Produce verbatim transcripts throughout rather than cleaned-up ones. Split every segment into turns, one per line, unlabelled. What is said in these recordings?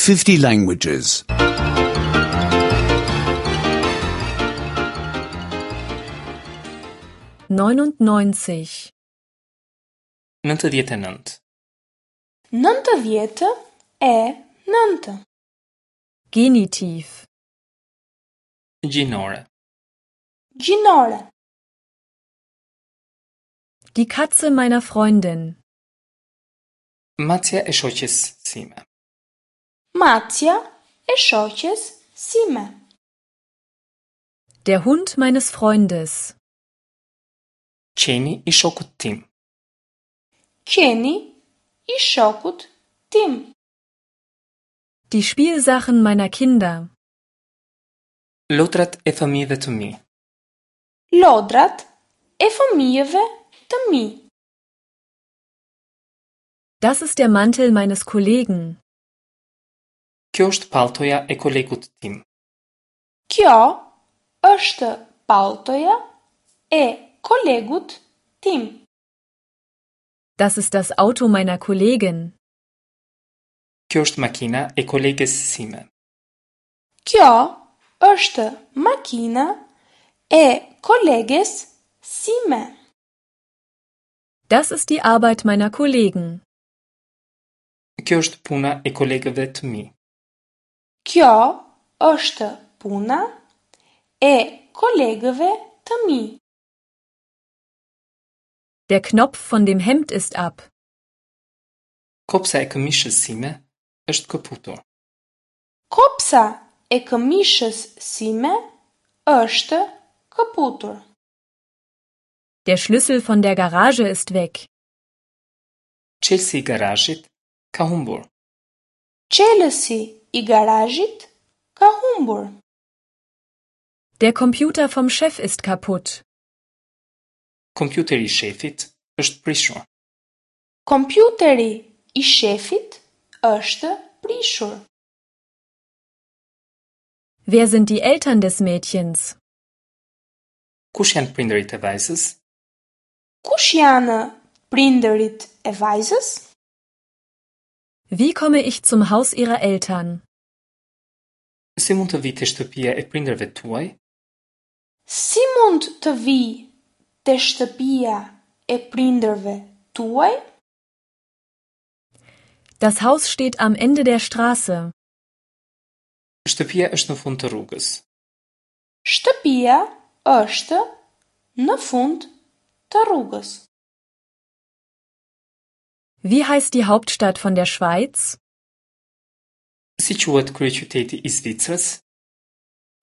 fifty languages.
neunundneunzig
Nëntëdhjetë e nëntë.
Nëntëdhjetë e nëntë.
Genitiv
Gjinore.
Gjinore.
Die Katze meiner Freundin.
Macja e shoqes sime.
Macja e shoqes sime.
Der Hund meines Freundes.
Qeni i shokut tim.
Qeni i shokut tim.
Die Spielsachen meiner Kinder.
Lodrat e fëmijëve të mi.
Lodrat e fëmijëve të mi.
Das ist der Mantel meines Kollegen.
Kjo është palltoja e kolegut tim.
Kjo është palltoja e kolegut tim.
Das ist das Auto meiner Kollegin.
Kjo është makina e koleges sime.
Kjo është makina e koleges sime.
Das ist die Arbeit meiner Kollegen.
Kjo është puna e kolegëve të mi.
Kjo është puna e kolegëve të mi.
Der Knopf von dem Hemd ist ab.
Kopsa e këmishës sime është këputur.
Kopsa e këmishës sime është këputur.
Der Schlüssel von der Garage ist weg.
Çelësi i garazhit ka humbur.
Çelësi i garazhit ka humbur.
Der Computer vom Chef ist kaputt.
Kompjuteri i shefit është prishur.
Kompjuteri i shefit është prishur.
Wer sind die Eltern des Mädchens?
Kush janë prindërit e vajzës?
Kush janë prindërit e vajzës?
Wie komme ich zum Haus ihrer Eltern?
Si mund të vi te shtëpia e prindërve tuaj?
Si mund të vi te shtëpia e prindërve tuaj?
Das Haus steht am Ende der Straße.
Shtëpia është në fund të rrugës.
Shtëpia është në fund të rrugës.
Wie heißt die Hauptstadt von der Schweiz?
Si quhet kryeqyteti i Zvicrës?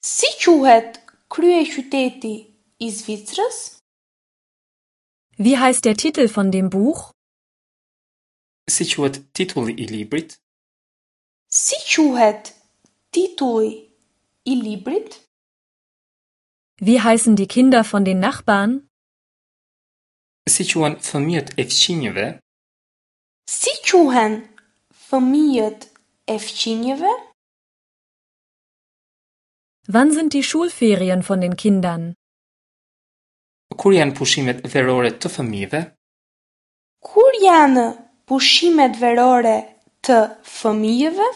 Si quhet kryeqyteti i Zvicrës?
Wie heißt der Titel von dem Buch?
Si quhet titulli i librit?
Si quhet titulli i librit?
Wie heißen die Kinder von den Nachbarn?
Si quhen fëmijët e fqinjëve?
Si quhen fëmijët e fqinjëve?
Wann sind die Schulferien von den Kindern?
Kur janë pushimet verore të fëmijëve?
Kur janë pushimet verore të fëmijëve?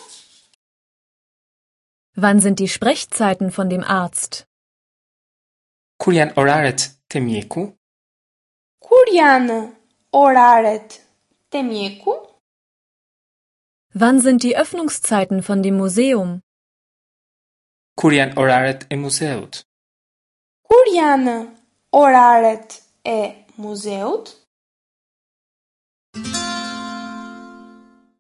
Wann sind die Sprechzeiten von dem Arzt?
Kur janë oraret te mjeku?
Kur janë oraret te mjeku?
Wann sind die Öffnungszeiten von dem Museum?
Kur janë oraret e muzeut?
Kur janë oraret e muzeut?